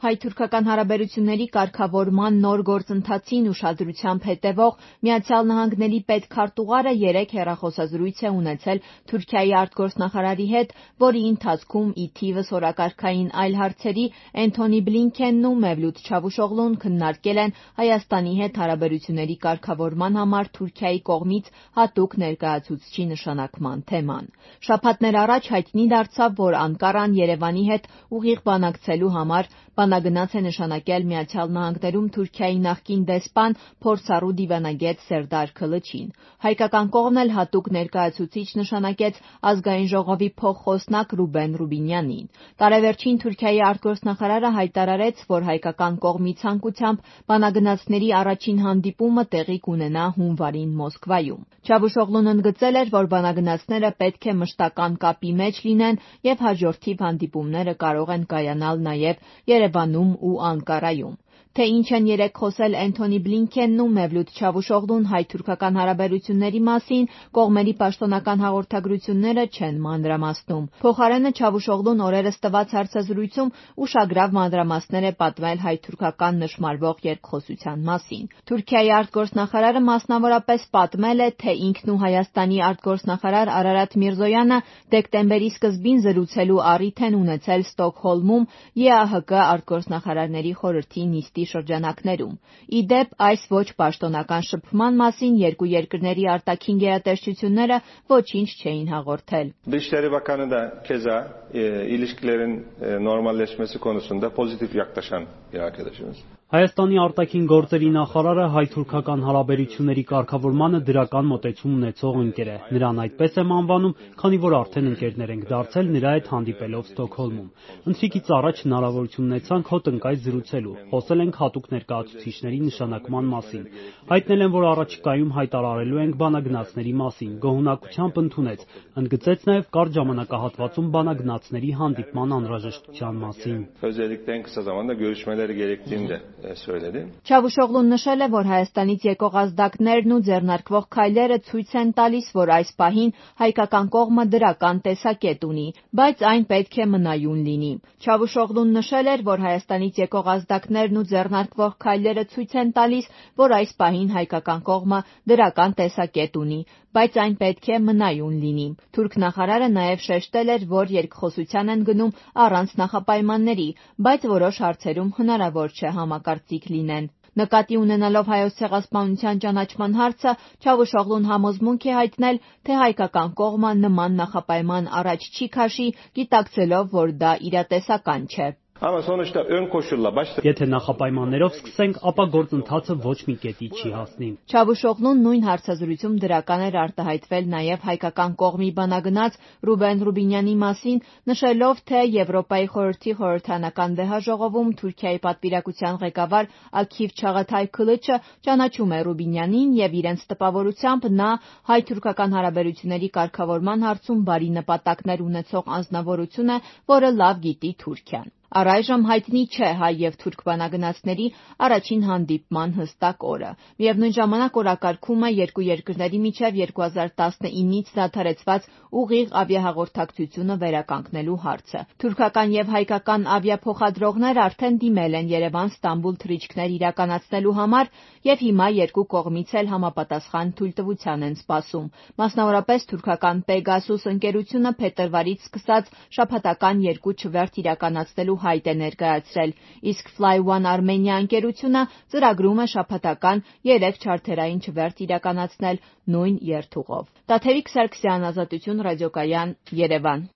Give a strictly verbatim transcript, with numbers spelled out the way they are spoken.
Հայ-թուրքական հարաբերությունների կարգավորման նոր գործընթացին ուշադրությամբ հետևող Միացյալ Նահանգների պետքարտուղարը երեկ հեռախոսազրույց է ունեցել Թուրքիայի արտգործնախարարի հետ, որի ընթացքում ի թիվս օրակարգային այլ հարցերի Էնթոնի Բլինքենն ու Մևլութ Չավուշօղլուն քննարկել են Հայաստանի հետ հարաբերությունների կարգավորման համար Թուրքիայի կողմից հատուկ ներկայացուցչի նշանակման թեման։ Շաբաթներ առաջ հայտնի դարձավ, որ Անկարան Երևանի հետ ուղիղ բանակցելու համար բանագնաց է նշանակել Միացյալ Նահանգներում Թուրքիայի նախկին դեսպան, փորձառու դիվանագետ Սերդար Քլիչին։ Հայկական կողմն էլ հատուկ ներկայացուցիչ նշանակեց Ազգային ժողովի փոխխոսնակ Ռուբեն Ռուբինյանին։ Տարեվերջին Թուրքիայի արտգործնախարարը հայտարարեց, որ հայկական կողմի ցանկությամբ բանագնացների առաջին հանդիպումը տեղի կունենա հունվարին Մոսկվայում։ Չավուշօղլուն ընդգծել էր, որ բանագնացները պետք է մշտական կապի մեջ լինեն և հաջորդիվ հանդիպումները կարող են կայանալ նաև Երևանում ու Անկարայում։ Թե ինչ են երեկ խոսել Էնթոնի Բլինքենն ու Մևլութ Չավուշօղլուն հայ-թուրքական հարաբերությունների մասին, կողմերի պաշտոնական հաղորդագրությունները չեն մանրամասնում։ Փոխարենը Չավուշօղլուն օրերս տված հարցազրույցում ուշագրավ մանրամասներ է պատմել հայ-թուրքական նշմարվող երկխոսության մասին։ Թուրքիայի արտգործնախարարը մասնավորապես պատմել է, թե ինքն ու Հայաստանի արտգործնախարար Արարատ Միրզոյանը դեկտեմբերի սկզբին զրուցելու առիթ են ունեցել Ստոկհոլմում Է Ա Հ Կ արտգործնախարարների խորհրդի նիստի շրջանակներում։ Ի դեպ, այս ոչ պաշտոնական շփման մասին երկու երկրների արտաքին գերատեսչությունները ոչինչ չէին հաղորդել։ Dışişleri Bakanı da keza e, ilişkilerin e, normalleşmesi konusunda pozitif yaklaşan bir arkadaşımız. Հայաստանի արտաքին գործերի նախարարը հայ-թուրքական հարաբերությունների կարգավորմանը դրական մոտեցում ունեցող ընկեր է։ Նրան այդպես եմ անվանում, քանի որ արդեն ընկերներ ենք դարձել նրա հետ հանդիպելով Ստոկհոլմում։ Ընթրիքից առաջ հնարավորություն ունեցանք հոտնկայ զրուցելու, խոսել ենք հատուկ ներկայացուցիչների նշանակման մասին։ Հայտնել են, որ առաջիկայում հայտարարելու ենք բանագնացների մասին, գոհունակությամբ ընդունեց, ընդգծեց նաև կարճ ժամանակահատվածում բանագնացների հանդիպման անհրաժեշտության մասին։ Özellikle en kısa zamanda görüşmeleri gerektiğini de söyledi. Չավուշօղլուն նշել է, որ Հայաստանից եկող ազդակներն ու ձեռնարկվող քայլերը ցույց են տալիս, որ այս պահին հայկական կողմը դրական տեսակետ ունի, բայց այն պետք է մնայուն լինի։ Չավուշօղլուն նշել էր, որ Հայաստանից եկող ազդակներն ու ձեռնարկվող քայլերը ցույց են տալիս, որ այս պահին հայկական կողմը դրական տեսակետ ունի, բայց այն պետք է մնայուն լինի։ Թուրք նախարարը նաև շեշտել էր, որ երկխոսության են գնում առանց նախապայմանների, բայց որոշ հարցերում հնարավոր չէ համակարծիք լինեն։ Նկատի ունենալով Հայոց ցեղասպանության ճանաչման հարցը, Չավուշօղլուն համոզմունք է հայտնել, թե հայկական կողմը նման նախապայման առաջ չի քաշի, գիտակցելով, որ դա իրատեսական չէ։ Ama sonuçta ön koşulla başladı. Եթե նախապայմաններով սկսենք, ապա գործընթացը ոչ մի կետի չի հասնի։ Չավուշօղլուն նույն հարցազրույցում դրական էր արտահայտվել նաև հայկական կողմի բանագնաց Ռուբեն Ռուբինյանի մասին, նշելով, թե Եվրոպայի խորհրդի խորհրդանական վեհաժողովում Թուրքիայի պատվիրակության ղեկավար Աքիվ Չաղաթայ Քլիչը ճանաչում է Ռուբինյանին և իրենց տպավորությամբ նա հայ-թուրքական հարաբերությունների կարգավորման հարցում բարի նպատակներ ունեցող անձնավորություն է, որը լավ գիտի Թուրքիան։ Առայժմ հայտնի չէ հայ և թուրք բանագնացների առաջին հանդիպման հստակ օրը։ Միևնույն ժամանակ օրակարգում է երկու երկրների միջև երկու հազար տասնինից դադարեցված ուղիղ ավիահաղորդակցությունը վերականգնելու հարցը։ Թուրքական և հայկական ավիափոխադրողներ արդեն դիմել են Երևան-Ստամբուլ թռիչքներ իրականացնելու համար և հիմա երկու կողմից էլ համապատասխան թույլտվության են սպասում։ Մասնավորապես թուրքական Պեգասուս ընկերությունը փետրվարից սկսած շաբաթական երկու չվերթ իրականացնելու հայտ է ներկայացրել, իսկ Fly One Armenia ընկերությունը ծրագրում է շաբաթական երեք չարթերային չվերթ իրականացնել նույն երթուղով։ Տաթևիկ Սարգսյան, Ազատություն ռադիոկայան, Երևան։